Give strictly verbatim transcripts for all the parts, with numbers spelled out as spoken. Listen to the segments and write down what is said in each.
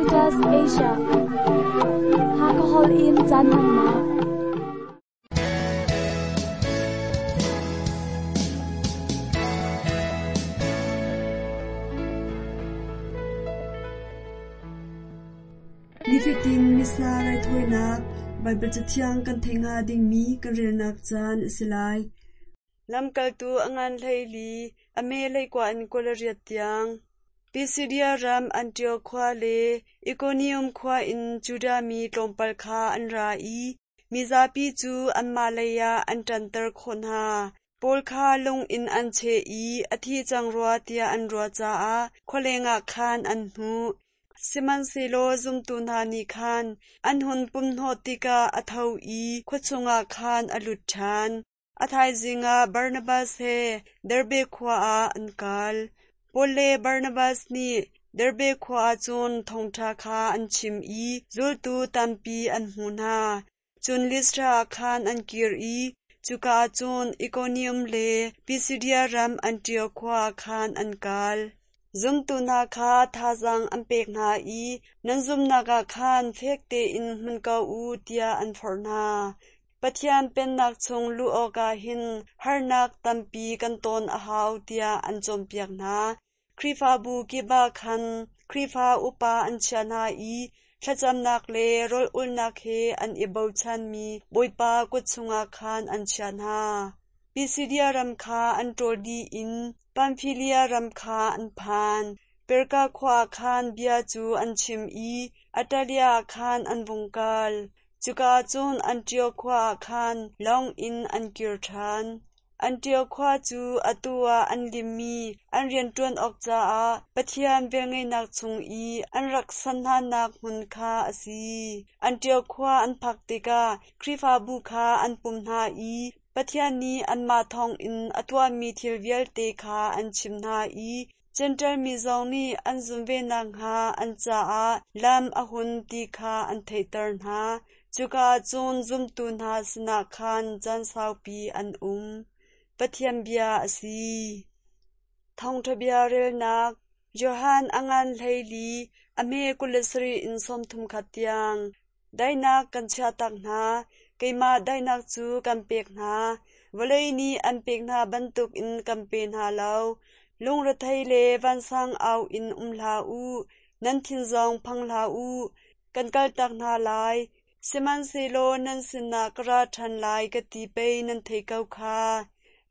Caritas Asia. Hakahol in caan hmannak. Nifatin Missa raithawinak Baibal Cathiang kan theih hnga dingmi kan relnak caan a si lai. Lamkaltu a ngan hleili, a me hleikua in kul le riat tiang. Pisidia ram Antioch khua le Ikonium khua in Judah mi tlawmpal kha an ra i mizapi cu anmah lei ah an ṭanter khawh hna. Paul kha lung in an cheh i a thi cang rua tiah an ruah caah khualeng ah khan an hnuh. Sihmanhsehlaw zumtu hna nih khan an hun pumhnawh tikah a tho i khua chungah khan a lut ṭhan. A thaizing ah Barnabas he Derbe khua ah an kal. Paul le Barnabas nih Derbe khua ah cun thawngṭha kha an chim i zultu tampi an hmuh hna. Cun Listra ah khan an kir i cuka ah cun Ikonium le Pisidia ram Antioch khua ah khan an kal. Zumtu hna kha thazaang an pek hna i nan zumhnak ah khan fek tein hmun ko u tiah an forh hna. Pathian Pennak chung luh awkah hin harnak tampi kan ton a hau tiah an cawnpiak hna. Khrihfabu kip ah khan Khrihfa upa an chiah hna i thlacamnak le rawl ulhnak he an i bochanmi Bawipa kut chungah khan an chiah hna. Pisidia ram kha an ṭawl dih in Pamfilia ram kha an phan. Perga khua ah khan bia cu an chim i Attalia ah khan an vung kal. Cuka ah cun Antioch khua ah khan lawng in an kir ṭhan. Antioch khua cu atu ah an limmi an rianṭuan awk caah Pathian velngeihnak chung i an rak san hnanak hmun kha a si. Antioch khua an phak tikah Khrihfabu kha an pum hna i Pathian nih anmah thawngin a tuahmi thil vialte kha an chimh hna i Jentail mi zong nih an zumh ve nakhnga an caah lam a hun ti kha an theihter hna. Cuka ah cun zumtu hna sinah khan caan saupi an um. Pathian bia a si. Thawngṭha bia relnak Johan a ngan hleili, a hme kul le sarih in sawmthum khat tiang. Daihnak kan chiahtak hna, keimah daihnak cu kan pek hna. Vawlei nih an pek hna bantukin kan pe hna lo. Lungrethei le vansang au in um hlah u, nan thin zong phang hlah u. Kan kaltak hna lai, sihmanhsehlaw nan sinah ka ra ṭhan lai ka ti pei nan theih ko kha.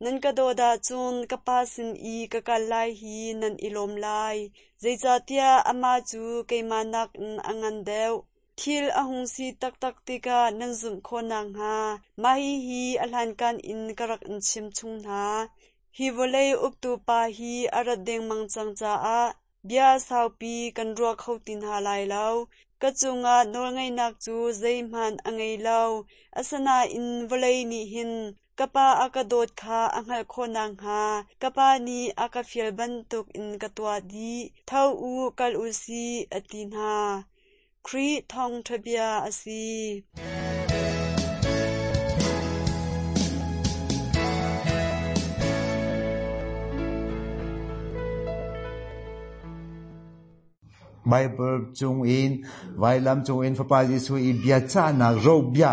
Nan ka dawt ahcun ka Pa sin i ka kal lai hi nan i lawm lai, zeicahtiah amah cu keimah nakin a ngan deuh. Thil a hung si taktak tikah nan zumh khawh nakhnga mah hihi a hlankan in ka rak in chim chung hna. Hi vawlei uktu pa hi a rat dengmang cang caah bia saupi kan ruah kho ti hna lai lo. Ka cungah nawlngeihnak cu zeihmanh a ngei lo. Asinain vawlei nih hin ka Pa a ka dawt kha a hngalh khawh nakhnga ka Pa nih a ka fial bantukin ka tuah dih. Tho u, kal u sih, a ti hna. Khrih thawngṭha bia a si. Bible chung in vailam chung in Fapa Jesuh i bia cahnak ro bia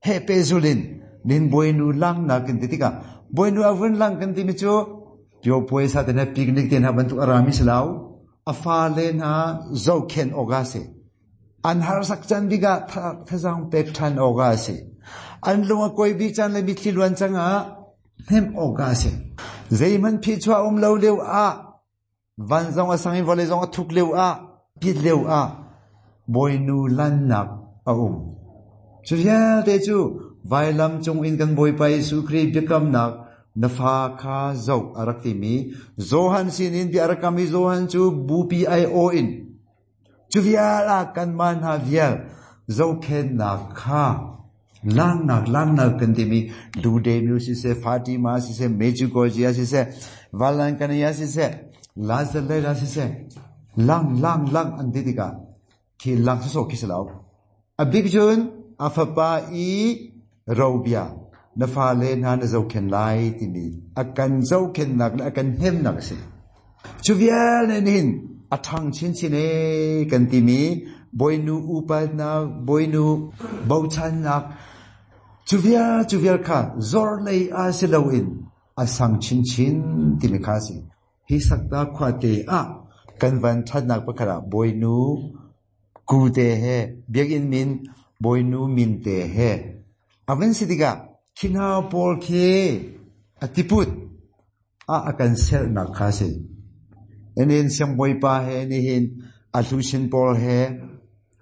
he pe zulin nin boinu lang na kan ti tikah boinu avun lang kan ti mi cu pio puaisa te na picnic te na bantuk arami silau afa le na zokhen oga se an har sak chan biga thazang pek than oga se an lunga koi bi chan le mitli luan changa hem oga se zeiman phi chua um lo leu a van zong a sangin vawlei zong a thuk leu a pit leu a boinu lannak a um chu vialte cu vailam cung in kan Bawipa Jesuh Khrih biakamnak na fa kha zo a rak timi Johan sinin bia rak kam i Johan cu bupi ai o in chu vial a kan man ha vial zokhennak kha langnak langnak kan timi Ludemiu siseh Fatima siseh Medjugorje siseh Valankania siseh Lazarus siseh lang lang lang an ti tikah khi lang so khi silo a big jun a fapa i robia na fa le hna na zokhen lai timi a kan zokhen nak le a kan hnem nak si chu vial ne hin a ṭhang chinchin e kan timi Boinu upatnak, Boinu bochannak, cu vial cu vial kha zor lei a si loin a sang chinchin timi kha si. Hi sakta khuate ah kan van ṭhatnak pakhat ah Boinu ku te he biakinn min Boinu min te he a van si tikah khi hna pawl khi a tiput a a kan sernak kha si. Enen siangbawipa he nihin a hluchin pawl he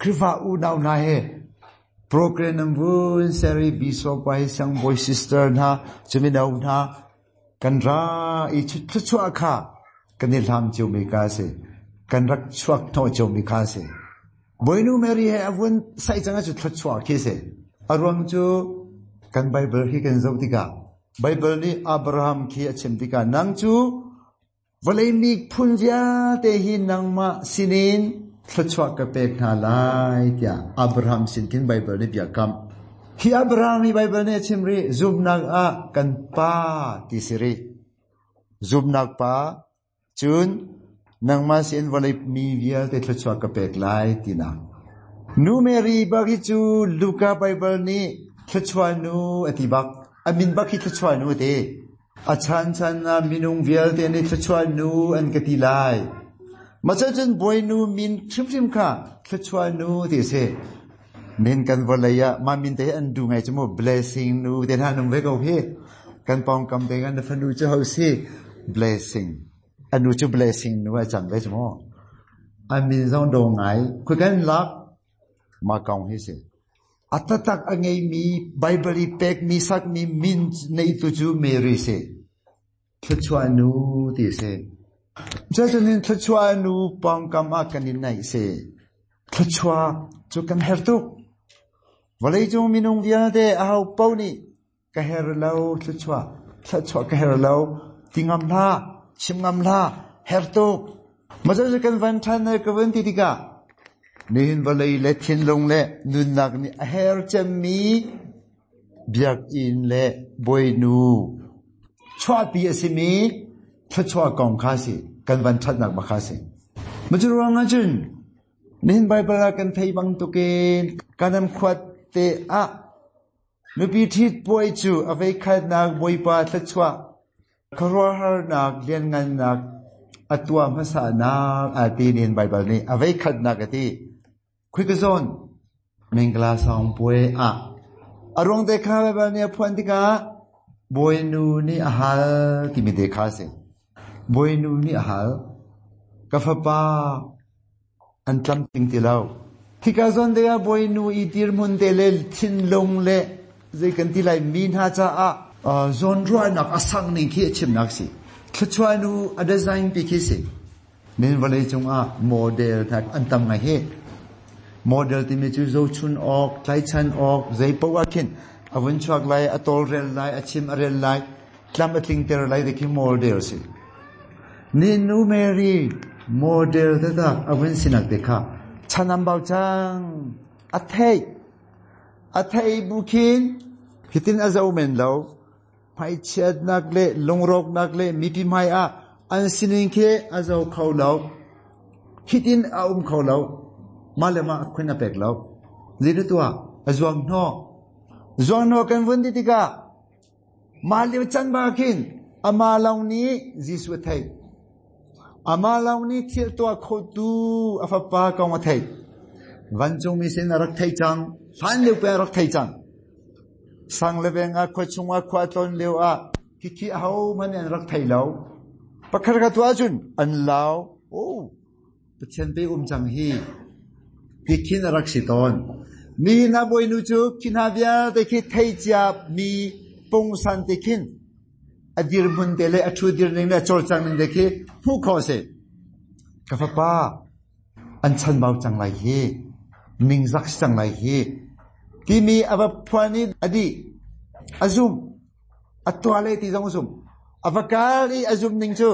Khrihfa unau hna he program nan vun seri bishop pa hi siangbawi sister hna cumino hna kan ra i thluachuah kha kan i hlam cio mi ka si, kan rak chuak hnawh cio mi kha si. Boinu Mary he a vun sai cang cu thluachuah khi si. A ruang cu kan Bible hi kan zoh tikah Bible nih Abraham khi a chim tikah nang cu vawlei mi phun vialte hi nangmah sinin thluachuah ka pek hna lai tiah Abraham sin khin Bible nih bia kam. Hi Abraham hi Bible nih a chim rih zumnak ah kan pa ti si rih. Zumnak pa cun nangmah sin vawlei mi vialte thluachuah ka pek lai tinak. Nu Mary bak hi cu Luka Bible nih thluachuah nu a ti bak. A min bak hi thluachuah nu a ti. A chan chan ah minung vialte nih thluachuah nu an ka ti lai. Mah cun Boinu min hrimhrim kha thluachuah nu ti si. Min kan vawlei ah mah min te an du ngai cu mu blessing nu te hna nung ve ko hi. Kan pawngkam te kan fanu cu ho si blessing. Anu cu blessing nu a cang ve cu mu. A min zong do ngai. Khui kan lak ma kong hi si. A tatak a ngeimi Bible i pekmi sakmi min nei tu cu Mary si. Thluachuah nu ti si. Cucun thluachuah nu pawngkam ah kan in naih si. Thluachuah cu kan her tuk. Vawlei cung minung vialte aho paoh nih ka her lo thluachuah, thluachuah ka her lo ti ngam hlah, chim ngam hlah, her tuk. Mah cu kan van ṭhan ka van ti tikah nihin vawlei le thinlung le nunnak nih a her cemmi biakinn le Boinu chuahpi a simi thluachuah kong kha si, kan van ṭhatnak bak kha si. Mah cu ruang ahcun nihin Bible ah kan thei bantukin Kanaan khuat te ah nupi ṭhit puai cu a voikhatnak Bawipa thluachuah khuaruahharnak lianngannak a tuah hmasanak a ti nihin Bible nih a voikhatnak a ti. Khoi ka zawn Mingla song puai ah a ruang te kha Bible nih a phuan tikah Boinu nih a hal timi te kha si. Boinu nih a hal ka fapa an tlam ting ti lo. Hika zawn te ah Boinu i dirhmun te le thinlung le zei kan ti lai mi hna caah zawnruahnak a sang ning khi a chimnak si. Thluachuah nu a design pi khi si. Min vawlei cungah model hna an tam ngai hi. Model timi cu zohchun awk, tlaichan awk, zei paoh ah khin a vun chuak lai, a tawlrel lai, a chim a rel lai, tlam a tlingter lai ti khi model si. Ni nu Mary model taktak a vun sinak te kha chanam bau cang a thei a thei bu khin hitin a zo men lo hmaichiatnak le lungrawknak le mipi hmai ah an sining khi a zo kho lo, hitin a um kho lo, mah le mah khun a pek lo. Zeitu tuah a zuang hnawh zuang hnawh kan vun ti tikah mah lio can ba khin ama lawng nih Jesuh a theih, ama lawng nih thil tuah kho tu a fapa kong a theih. Vancung mi sin a rak thei cang, hlan lio pe a rak thei cang. Sang le veng ah khua chung ah khua tlawn lio ah khikhi aho hmanh an rak thei lo. Pakhat ka tuah cun an lau, oh Pathian pe um cang hi ti khin a rak si tawn. Mi hna Boinu cu khi hna vialte khi thei cia mi pungsan te khin a dirhmun te le a thu dir ning le a cawlcang ning te khi hmuh khawh si. Ka fapa an chan bau cang lai hi, ningzak si cang lai hi timi a va phuan i a dih, a zum, a tuah le ti zong a zum. A va kal i a zum ning cu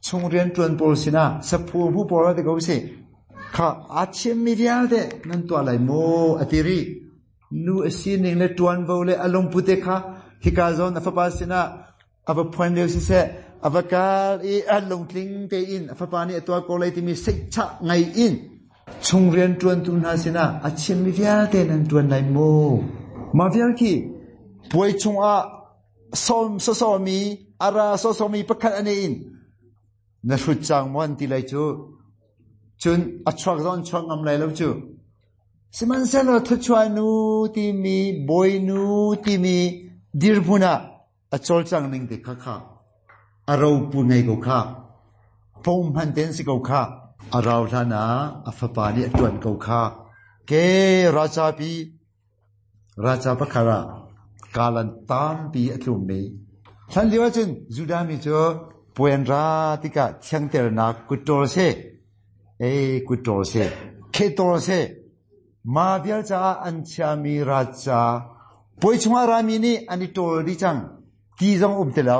chung rian ṭuan pawl sinah saphu hu pawl te ko si. Kha a chimmi vialte nan tuah lai maw a ti rih. Nu a sining le ṭuanvo le a lungput te kha hika zawn a fapa sinah a va phuan lio siseh, Avakal i alung tling te in fapa ni atwa ko lai timi seicha ngai in chungrian tuan tu hna sina a chim mi vialte nan tuan lai mu ma vial khi puai chunga som so so mi ara so so mi pakhat ane in na hrut chang mon ti lai chu chun a chuak zon chuak ngam lai lo chu sihmanhsehlaw thuchua nu timi boi nu timi dirhmun ah a cawlcang ning te kha kha a ro pu ngei ko kha pom hman ten si ko kha a rau hlan ah a fapa nih a ṭuan ko kha ke raja pi raja pakhat ah kalan tampi a tlum mi hlan lio ahcun Judah mi cu puan ra tikah thiangternak kutṭawl se ei kutṭawl se khetol se ma vial caah an chiami raja puai chungah rami nih an i ṭawl dih cang ti zong um ti lo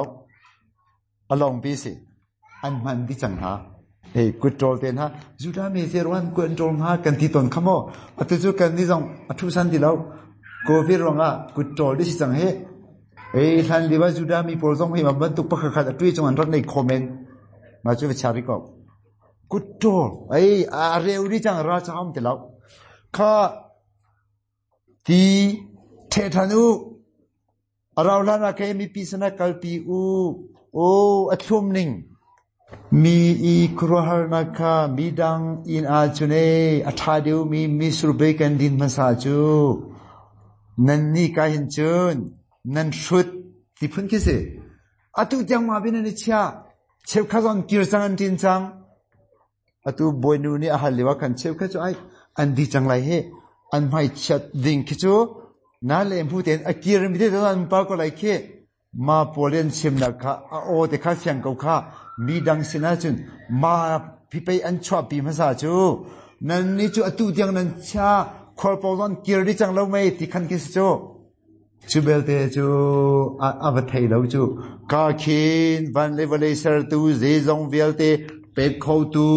a lawng pi si an hman dih cang hna ei kutṭawl te hna Judah mi te ruan kut an ṭawl hnga kan ti tawn kha maw atu cu kan ni zong a thu san ti lo COVID ruangah kutṭawl dih si cang hi ei hlan lio ah Judah mi pawl zong hi ma bantuk pakhat khat a tui chung an rak nei kho men ma cu va chari ko kutṭawl ei a reu dih cang ra cha um ti lo kha ti ṭhe ṭhan u a rau hlan ah kei mipi sinah kalpi u o a thlum ning mi i khuaruahharnak kha midang inn ahcun ei a ṭha deuhmi mitsur bei kan din hmasa cu nan nih ka hin cun nan hrut ti phun khi si atu tiang ma bin an i chia cheukhat zong kir cang an ṭin cang atu bawinu nih a hal lio ah khan cheukhat cu ai an di cang lai hi an hmai chiat ding khi cu na le hmu tein a kir mi te an par ko lai khi ma pawl an chimnak kha a aw te kha fiang ko kha mi dang sinah cun ma pipei an chuahpi hmasa cu nan ni cu atu tiang nan chia khualpawl zong kir dih cang lo mei ti khan khi si cu cu belte cu a va thei lo cu ka khin van le vawlei sertu zeizong vialte pek khotu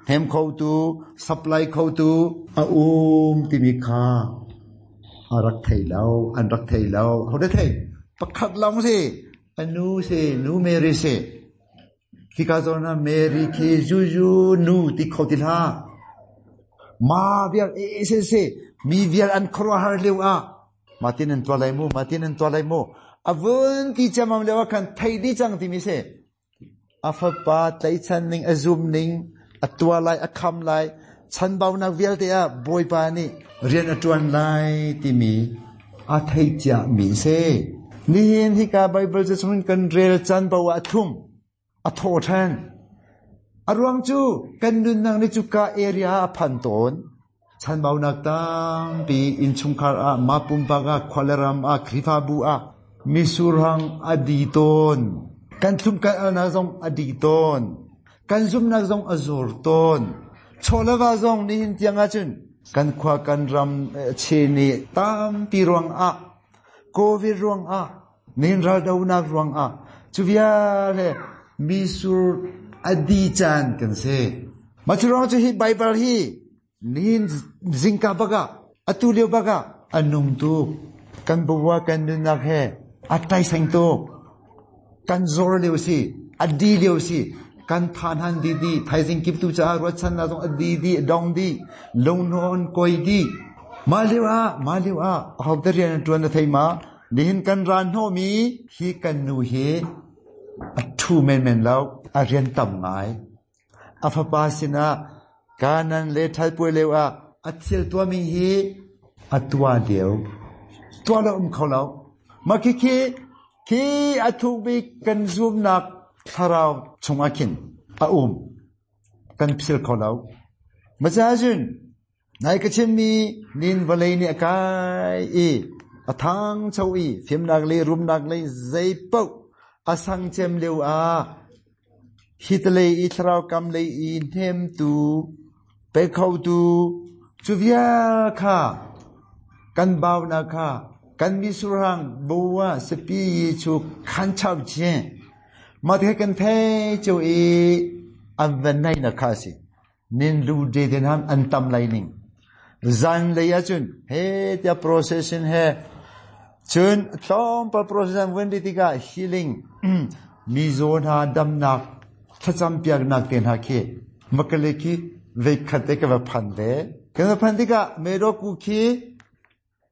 hem khotu supply khotu a um timi kha a rak thei lo an rak thei lo ho de thei pakhat lawng si anu si nu Mary si khika zawn ah Mary khi zuzu nu ti kho ti hlah ma vial e se se mi vial an khuaruahhar lio ah matin an tuah lai mu matin an tuah lai mu avun ti chamam lio ah khan thei di cang timi si a fapa tlaichan ning a zum ning a tua lai a kham lai chanbaunak vialte ah Bawipa nih rian a ṭuan lai timi a thei cia mi si nihin hika Bible ca chungin kan rel caan paoh ah a thlum a thaw ṭhan a ruang cu kan nunnak nih cuka area ah a phan tawn chanbaunak tampi innchungkhar ah ma pumpak ah khua le ram ah Khrihfabu ah misurhang a di tawn kan thlum kan alnak zong a di tawn kan zumnak zong a zor tawn chawleva zong nihin tiang ahcun kan khua kan ram chini tampi ruang ah COVID ruang ah nihin raldonak ruang ah cu vialte misur a di caan kan si mah cu ruang cu hi Bible hi nihin zingka bak ah atu lio bak ah a nung tuk kan bua kan nunnak he a taiseng tuk kan zor lio si a di lio si kan than han di di thaizing kip tu caah ruahchannak zong a di di a dong di lungnawn koi di mah lio ah mah lio ah ahote rian an ṭuan na thei ma nihin kan ra hnawhmi hi kan nu hi a ṭhu menmen lo a rian tam ngai a fapa sinah kanan le ṭhalpuai lio ah a thil tuahmi hi a tuah lio tuah lo um kho lo mah khi khi khi a thukbik kan zumnak thlarau chungah khin a um kan phil kho lo macahcun nai ka chimmi nin vawlei nih a kai i a thangcho i fimnak le rumnak le zei paoh a sang cem lio ah hitalei i thlarau kam lei i hnemtu pe khotu cu vial kha kan baunak kha kan misurhang bua sapi chu khan chau chin ma te kan thei chu i an van nai na kha si nin lu de den ham an tam lai ning zan lei ahcun he tia procession he cun tlawmpal procession vun di tikah healing Mi zo na dam nak thacham piak nak te na khi makale ki ve khate ka va phan ve ka phan tika me do ku khi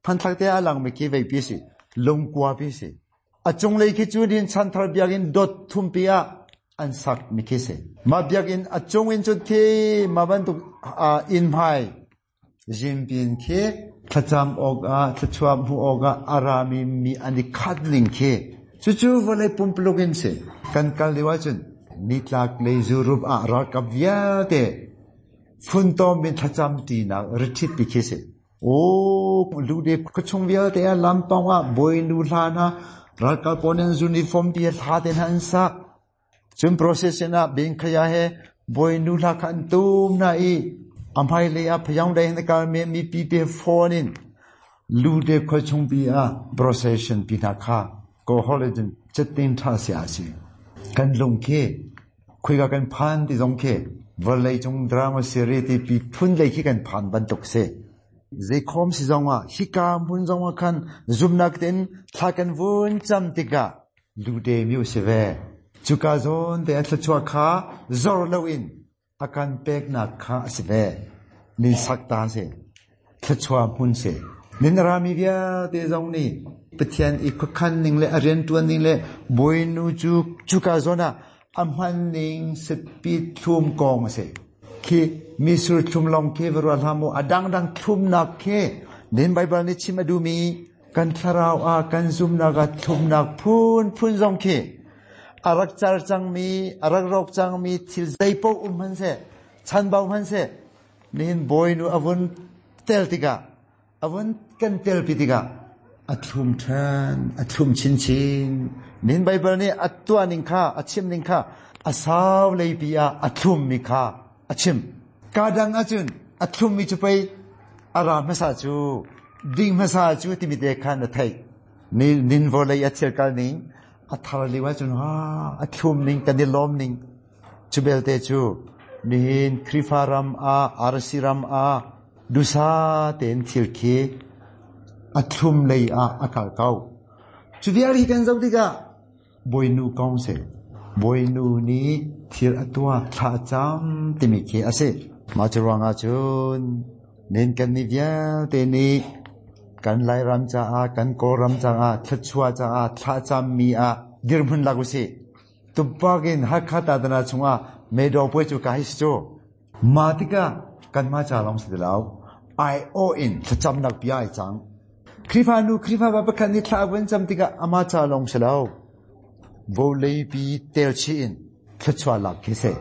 phan thak te alang me ki ve pi si lungkua pi si achung lei khi chu din chan thar biak in dot thum pi a an sak mi khi se ma biak in achung in chut khi ma ban tu in mai jim pin khi thacham ok a thachuam hu ok a arami mi ani khat ning khi chu chu vole pumpluk in se kan kal lewa chun nitlak le zurup a ra kap via te phun tom min thacham ti na rithit pi khi se o lu de khuchung via te a lampang a boi nu hla na rakal ponen uniform pi hla ten han sa chun process na bing khaya he boi nu hla khan tum na i amhai le a phyang dai na kal me mi pi pe phone in lu de khuchung pi a procession pi na kha ko holiday chatin tha sia si kan lung ke khui ga kan phan ti zong ke valai chung drama series ti pi phun lei khi kan phan ban tok se zai khom si zong a hika mun zong a khan zum nak ten thla kan vun cham tika lu de miu se ve chuka zon te thla chua kha zor lo in akan pek na kha se ve nin sak ta se thla chua mun se nin rami via te zong ni pathian i khan ning le arian tuan ning le boi nu chu chuka zona amhan ning se pi thum kong se khi misur thum long ke veru alhamu adang dang thum nak ke nin Bible ni chim adu mi kan tharau a kan zum na ga thum nak phun phun zong ke arak char chang mi arak rok chang mi thil zai po um han se chan bau han se nin boy nu avun tel tika avun kan tel pi tika athum than athum chin chin nin Bible ni atwa ning kha achim ning kha asaw lei pi a athum mi kha achim kadang achun athum mi chu pai aram ma sa chu ding ma sa chu ti mi te khan na thai ni nin vo lei achil kal ning athar liwa chun ha athum ning kan lom ning chu bel te chu nihin khrifaram a arsiram a dusa ten thil khi athum lei a akal kau chu vial hi kan zau diga boinu kong se boinu ni thil atwa tha cham ti mi khi ase ma chuanga chun nin kan ni vial te ni kan lai ram cha a kan ko ram cha a thachua cha a tha cham mi a dirmun lagu si tupakin hakha ta dana chunga me do poi chu ka hi chu ma tika kan ma cha long si law I O in thacham nak pi ai chang khrifa nu khrifa ba pakhan ni thla wan cham tika ama cha long si law bo lei pi tel chi in thachua lak khi se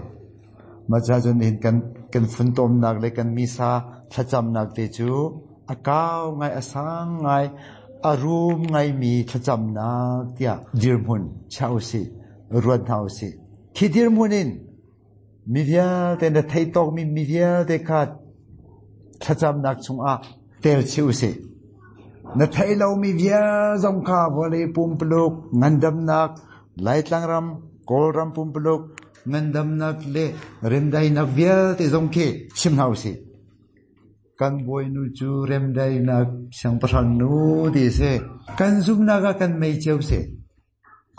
ma cha chun hin kan kan phun tom nak le kan mi sa thacham nak te chu akaw ngai asang ngai arum ngai mi thacham nak tia dirmun chau si ruan thau si khi dirmunin mi vial te na thei tok mi mi vial te khat thacham nak chung a tel chiu si na thei lo mi vial zong kha vole pum pluk ngandam nak lai tlang ram kol ram pum pluk ngandam nak le remdai nak vial te zong khi chim hau si kan boi nu chu remdai nak sang pasang nu ti se kan zum na ga kan mei cheu se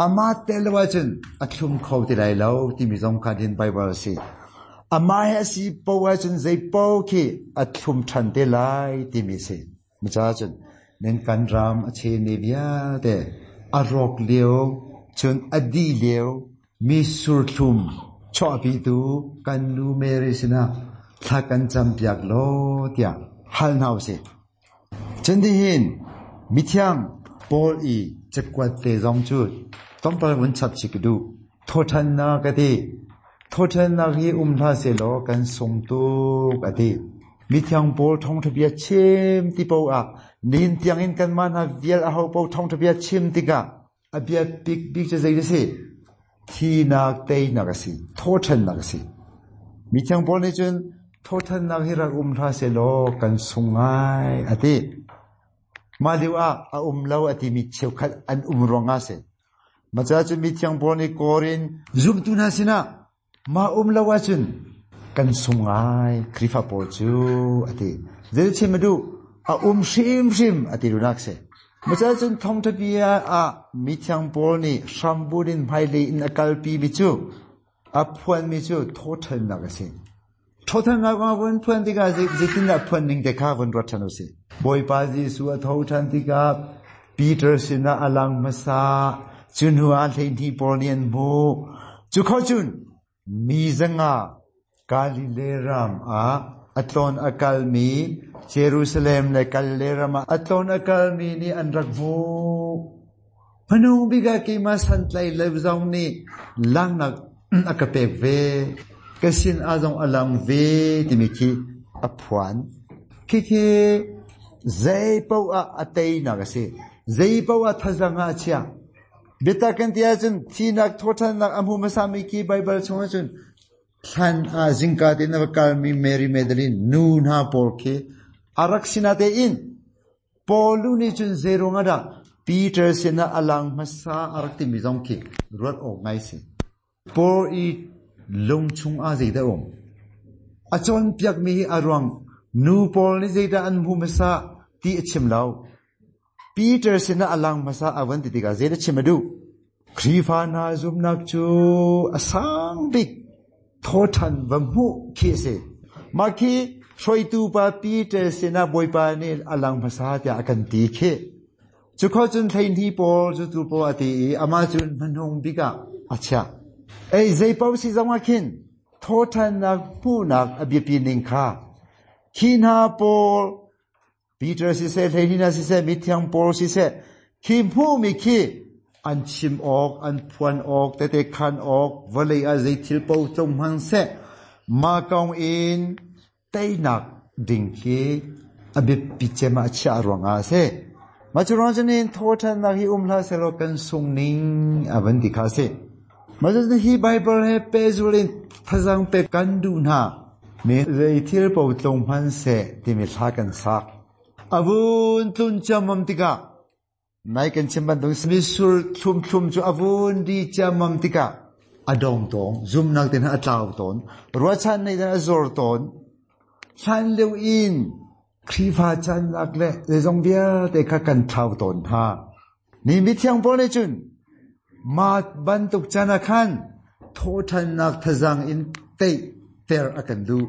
ama telwa chun athum khau ti lai lo ti mi zong kha din Bible si ama he si powa chun zai po khi athum than te lai ti mi se mi cha chun nen kan ram a che ne bia te arok leo chun adi leo mi sur thum cho pi tu kan nu mere sina tha kan cham piak lo tia hal nau se chen di hin mi thiang Paul i chakwat te zong chu tompal wun chap chik du tho than na ka ti tho than na hi um tha se lo kan sung tu ka ti mi thiang Paul thong thabia chim ti po a nin tiang in kan man ha vial a ho po thong thabia chim ti ka abia big big cha zai se thi nak te nak si tho than nak si mi thiang Paul ni chun tho than nak hi rak um tha se lo kan sungai ati ma liu a a um lo ati mi cheu khat an um ronga se ma cha chu mi thiang Paul ni korin zum tu na sina ma um lo wa chun kan sungai khrifa Paul chu ati zel chim du a um shim shim ati runak se Ma cun thong thabia a mi thiang pawl nih hrambun in hmailei in a kalpi mi cu a phuan mi cu thawthannak a si. Thawthannak a vun phuan tikah zeitindah phuan ning te kha vun ruat ṭhan u sih. Bawipa Jesuh a tho ṭhan tikah Peter sinah a lang hmasa, cu hnu ah hleihnih pawl nih an hmuh. Cu kho cun mi zanga Galilee ram ah a tlawn a kalmi Jerusalem le Galilee ram ah a tlawn a kalmi nih an rak hmuh. Hmanung bik ah keimah santlai lo zong nih langnak a ka pek ve. Ka sin ah zong a lang ve timi khi a phuan. Khikhi zei paoh ah a teinak a si. Zei paoh ah thazang ah a chia. Biatak kan ti ahcun thinak thawṭhannak a hmu hmasami khi Baibal chung ahcun thlan ah zingka tein a va kalmi Mary Magdalene nu hna pawl khi a rak sinatein Paul nih cun zeiruang ah dah Peter sinah a lang hmasa a rak timi zong khi ruat awk ngai si. Paul i lung chung ah zeidah um? A cawnpiakmi hi a ruang nu pawl nih zeidah an hmu hmasa ti a chim lo. Peter sinah a lang hmasa a van ti tikah zeidah chim a duh? Khrihfa hna zumhnak cu a sang bik thawṭhan va hmuh khi a si. Mah khi hruaitu pa Peter sinah Bawipa nih a lang hmasa tiah a kan ti khi. Cu kho cun hleihnih pawl cu tu pawl a ti i amah cun hmanung bik ah a chiah. Ei zei paoh si zong ah khin thawṭhannak hmuhnak a biapi ning kha khi hna pawl Peter siseh hleihnih hna siseh mithiang pawl siseh khi hmuhmi khi an chim awk an phuan awk tete khan awk vawlei ah zei thil paoh tlung hmang seh mah kong in teinak ding khi a biapi cem ah a chiah ruangah a si. Mah cu ruang cun hin thawṭhannak hi um hlah sehlaw kan sung ning a van ti kha a si. Mah cu hi Baibal he pehzul in thazang pek kan duh hna. Mi zei thil paoh tlung hmanh seh timi thla kan sak. A vun tlun ciammam tikah nai kan chim bantuk misur thlum thlum cu a vun di ciammam tikah a dong tawn, zumnak te hna a tlau tawn, ruahchan nei a zor tawn. Hlan lio in Khrihfa cannak le zeizong vialte kha kan thlau tawn hna. Ni mithiang pawl nih cun mah bantuk can ah khan thawṭhannak thazang in teihter a kan duh.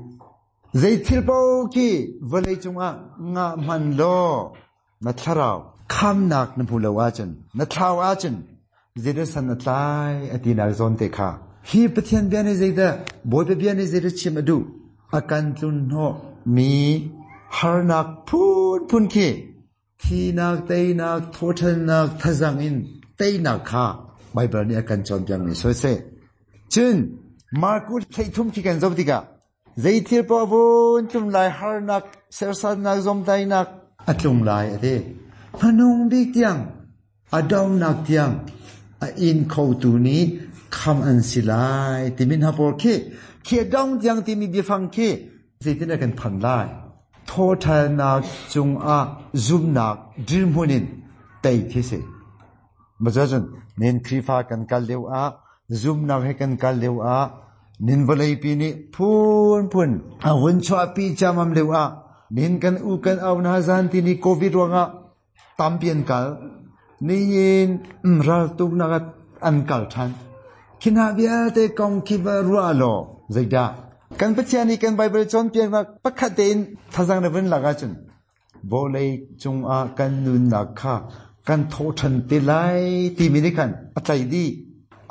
Zei thil paoh khi vawlei cungah ngah hman law na thlarau khamnak na hmu lo ahcun na thlau ahcun zeidah san na tlai a tinak zawn te kha. Hi Pathian bia nih zeidah Bawipa bia nih zeidah chim a duh? A kan tlun hnawh mi harnak phunphun khi thinak, teinak, thawṭhannak, thazang in teinak kha Baibal nih a kan cawnpiakmi soi seh. Cun Marku hleithum khi kan zoh tikah zei thil paoh vun tlung lai harnak, serhsatnak, zawmtainak a tlung lai a ti. Hmanung bik tiang, a donghnak tiang a in khotu nih kham an si lai timi hna pawl khi khi a dong tiang timi biafang khi zeitin a kan phan lai? Thawṭhannak cungah zumnak dirhmun in tei khi si. Macun nin Khrihfa kan kal lio ah zumnak he kan kal lio ah nin vawleipi nih phunphun a vun chuahpi ciammam lio ah nin kan u kan au hna zan ti ni COVID ruangah tampi an kal. Nihin raltuknak an kal ṭhan. Khi hna vialte kong khi va ruah law zeidah kan Pathian nih kan Baibal cawnpiaknak pakhat tein thazang na vun lak ahcun vawlei cungah kan nunnak kha kan thawhṭhan te lai timi nih khan a tlaih dih.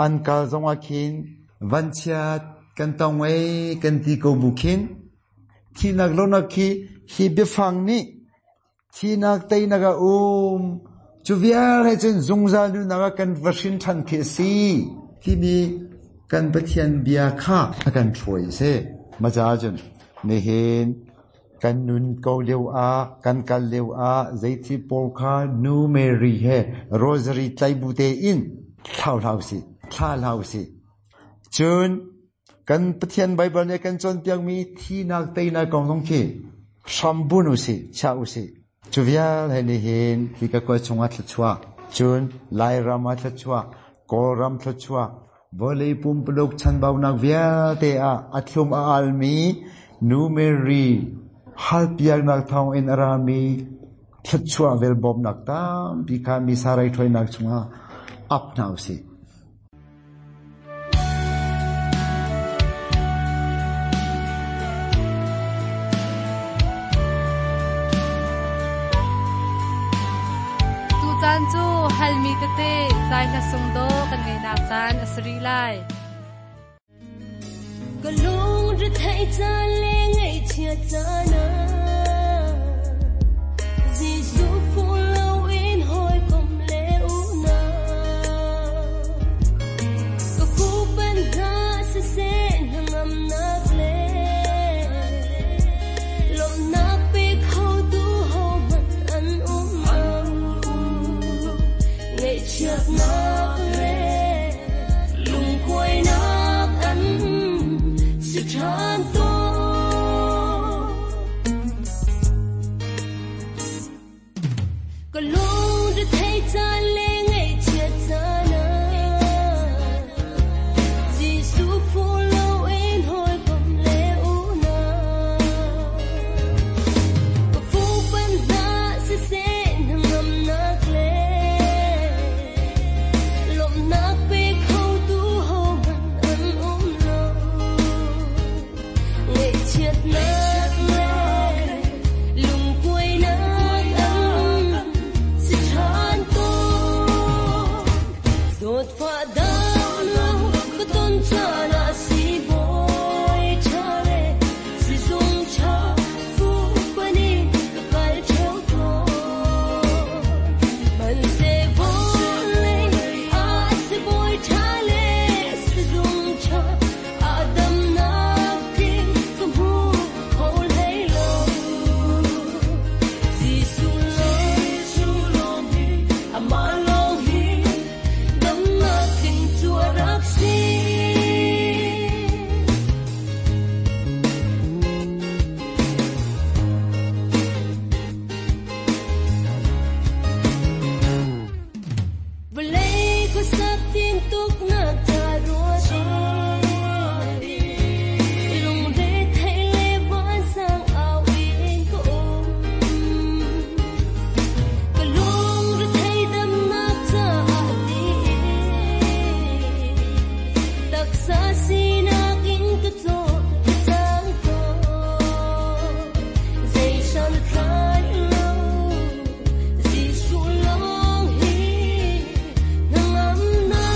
An kal zongah khin vanchiat kan tong ei kan ti ko bu khin thinak lonak khi hi biafang nih thinak teinak a um cu vial he cun zungzal nunnak ah kan va hrin ṭhan khi a si timi kan Pathian bia kha a kan hruai a si. Ma caah cun nihin kan nun ko lio ah kan kal lio ah zeithil pawl kha nu Mary he rosary tlai bu tein thlau hlah usih, thla hlah usih. Cun kan Pathian Baibal nih kan cawnpiakmi thinak teinak kong zong khi hrambun usih, chia usih. Cu vial he nihin hi ka kua chungah thluachuah, cun Lairam ah thluachuah, Kawlram thluachuah, vawlei pumpuluk chanbaunak vialte ah a thlum a almi Nu Mary halpiaknak thawngin a rami thluachuah vel bawmnak tampi kha Missa raithawinak chungah ap hna usih. Tucaan cu halmi tete zai hla sung do kan ngeinak caan a si rih lai. Ka lung ri thei caan le ngaihchiat caan ah Jesuh phu loin hawikom le unau ka fuhpanh hna siseh hnangamnak le lawmhnak pe khotu hohmanh an um lo. Ngaihchiatnak le lungkuainak an si ṭhan tawn. Ka lung ri thei caan le ngaihchiat caan ah Jesuh phu loin hawikom le unau ka fuhpanh hna siseh hnangamnak le lawmhnak pe khotu hohmanh an um lo. Ngaihchiatnak le lungkuainak an si ṭhan tawn. Zawtfah dam lo ka ton caan ah siibawi ṭha le sizung ṭha fuhpanh in ka kal ṭheo tawn. Hmanhseh vawlei ah sibawi ṭha le sizung ṭha ah damnak tling ka hmu kho hlei lo. Jesuh lawng hi, amah lawng hi, damnak tling cu a rak si. Vawlei khuasak tintuknak ca ruat i lungre theih le vansang au in ka um. Ka lungre thei damnak caah tiin taksa sinak in ka caw ka cang tawn. Zei santlai lo Jesuh lawng hi hnangamnak.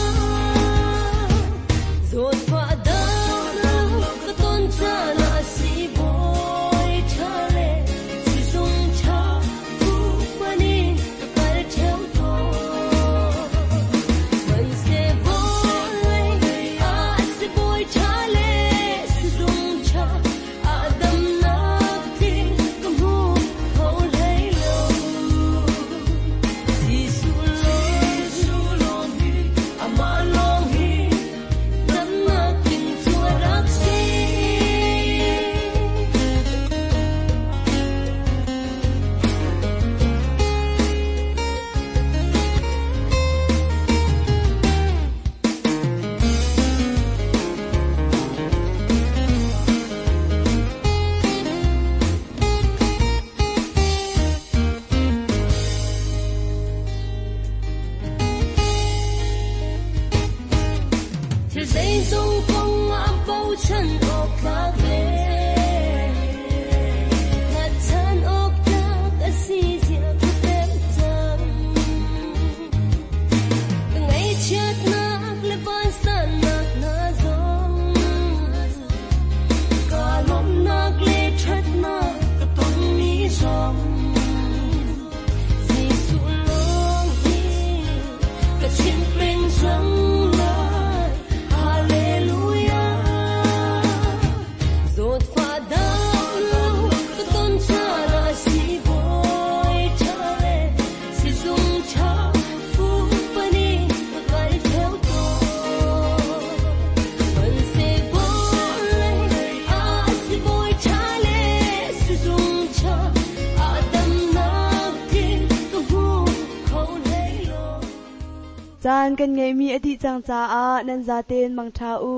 Zawtfah dam lo ka ton caan ah siibawi ṭha le sizung ṭha fuhpanh in ka kal ṭheo tawn. Hmanhseh vawlei ah sibawi ṭha le sizung ṭha ah damnak tling ka hmu kho hlei lo. Jesuh lawng hi, amah lawng hi, damnak tling cu a rak si. Thil zeizong kong ah bochan awk tlak le hngatchan awk tlak a si zia ka pek cang. Ka ngaihchiatnak le vansannak hna zong kaa lawmhnak le ṭhatnak ka tonmi zong Jesuh lawng hi ka chim peng cang lai. Hallelujah. Zawtfah dam lo ka ton caan ah siibawi ṭha le sizung ṭha fuhpanh in ka kal ṭheo tawn. Hmanhseh vawlei ah sibawi ṭha le sizung ṭha ah damnak tling ka hmu kho hlei lo. Caan kan ngeihmi a dih cang caah nan zaten mangṭha u.